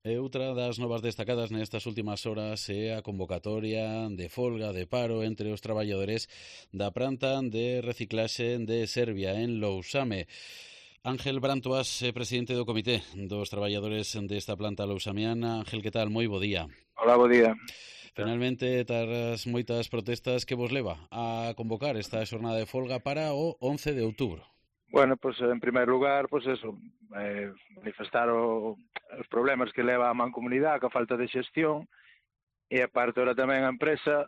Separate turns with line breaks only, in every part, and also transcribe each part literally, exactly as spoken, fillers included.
E outra das novas destacadas nestas últimas horas é a convocatoria de folga de paro entre os traballadores da planta de reciclaxe de Serbia en Lousame. Ángel Brantoas, eh, presidente do comité dos traballadores desta planta lousamiana. Ángel, que tal? Moi bo día.
Hola, bo día.
Finalmente, tras moitas protestas, que vos leva a convocar esta xornada de folga para o once de outubro?
Bueno, pues en primer lugar, pues eso, eh, manifestar o, os problemas que leva a mancomunidade, que a falta de xestión, e aparte ahora tamén a empresa,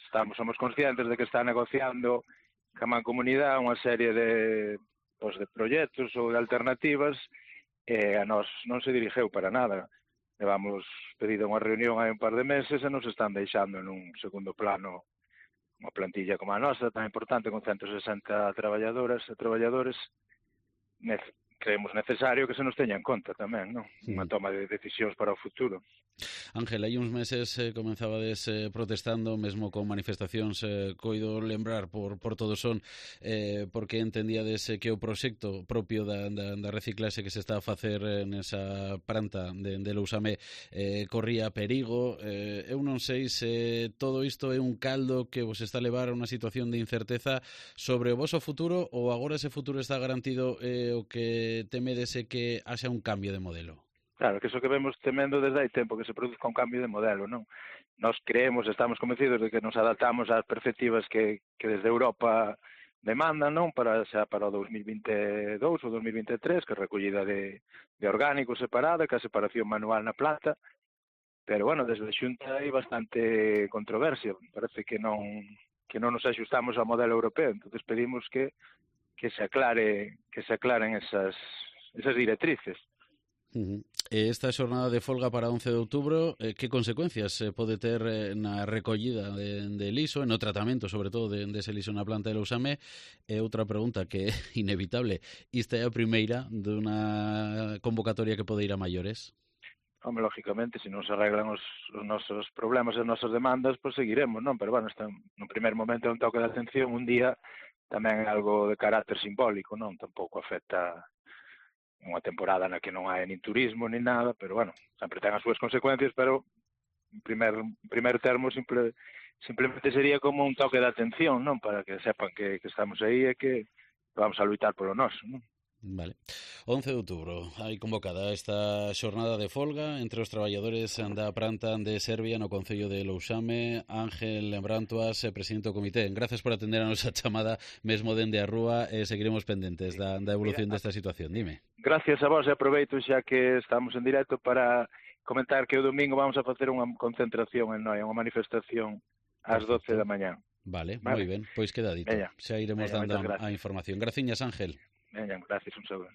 estamos somos conscientes de que está negociando ca mancomunidade unha serie de, pues, de proxectos ou de alternativas, e a nós non se dirixeu para nada. Levamos pedido unha reunión hai un par de meses e nos están deixando nun segundo plano unha plantilla como a nosa, tan importante, con ciento sesenta traballadoras e traballadores, creemos necesario que se nos teña en conta tamén, non? Unha toma de decisións para o futuro.
Ángel, hai uns meses eh, comenzabades eh, protestando, mesmo con manifestacións, eh, coido lembrar por, por todo son, eh, porque entendíades eh, que o proxecto propio da, da, da reciclaxe que se está a facer eh, nesa planta de, de Lousame eh, corría perigo. Eh, eu non sei se todo isto é un caldo que vos está a levar a unha situación de incerteza sobre o voso futuro, ou agora ese futuro está garantido e eh, o que temedes é que haxa un cambio de modelo?
Claro, que iso que vemos temendo desde hai tempo, que se produzca un cambio de modelo, non? Nos creemos, estamos convencidos de que nos adaptamos ás perspectivas que, que desde Europa demandan, non? Para xa para o dos mil vinte e dous ou dos mil vinte e tres, que é recollida de, de orgánicos separada, que a separación manual na planta, pero, bueno, desde a Xunta hai bastante controversia, parece que non que non nos axustamos ao modelo europeo, entonces pedimos que, que se aclare, que se aclaren esas, esas directrices.
Uh-huh. Esta xornada de folga para once de outubro, eh, que consecuencias eh, pode ter eh, na recollida de, de liso, no tratamento, sobre todo, de, de ese liso na planta de Lousame? E outra pregunta que é inevitable, esta é a primeira dunha convocatoria que pode ir a maiores?
Home, lógicamente, se non se arreglan os, os nosos problemas e as nosas demandas, pois seguiremos, non? Pero, bueno, este, no primer momento é un toque de atención, un día tamén é algo de carácter simbólico, non? Tampouco afecta unha temporada na que non hai nin turismo nin nada, pero, bueno, sempre ten as súas consecuencias, pero en primer, en primer termo simple, simplemente sería como un toque de atención, non? Para que sepan que, que estamos aí e que vamos a luitar polo noso, non?
Vale. once de outubro, hai convocada esta xornada de folga entre os traballadores da planta de Serbia no concello de Lousame. Ángel Brantoas, presidente do comité, gracias por atender a nosa chamada mesmo dende a rúa e seguiremos pendentes da, da evolución
Mira,
desta situación. Dime.
Gracias a vos, e aproveito xa que estamos en directo para comentar que o domingo vamos a facer unha concentración en Noia, unha manifestación ás doce da mañá.
Vale, vale, moi ben, pois queda dito.
Veña.
Xa iremos
Veña,
dando a información. Graciñas, Ángel.
Veña, gracias, un saúdo.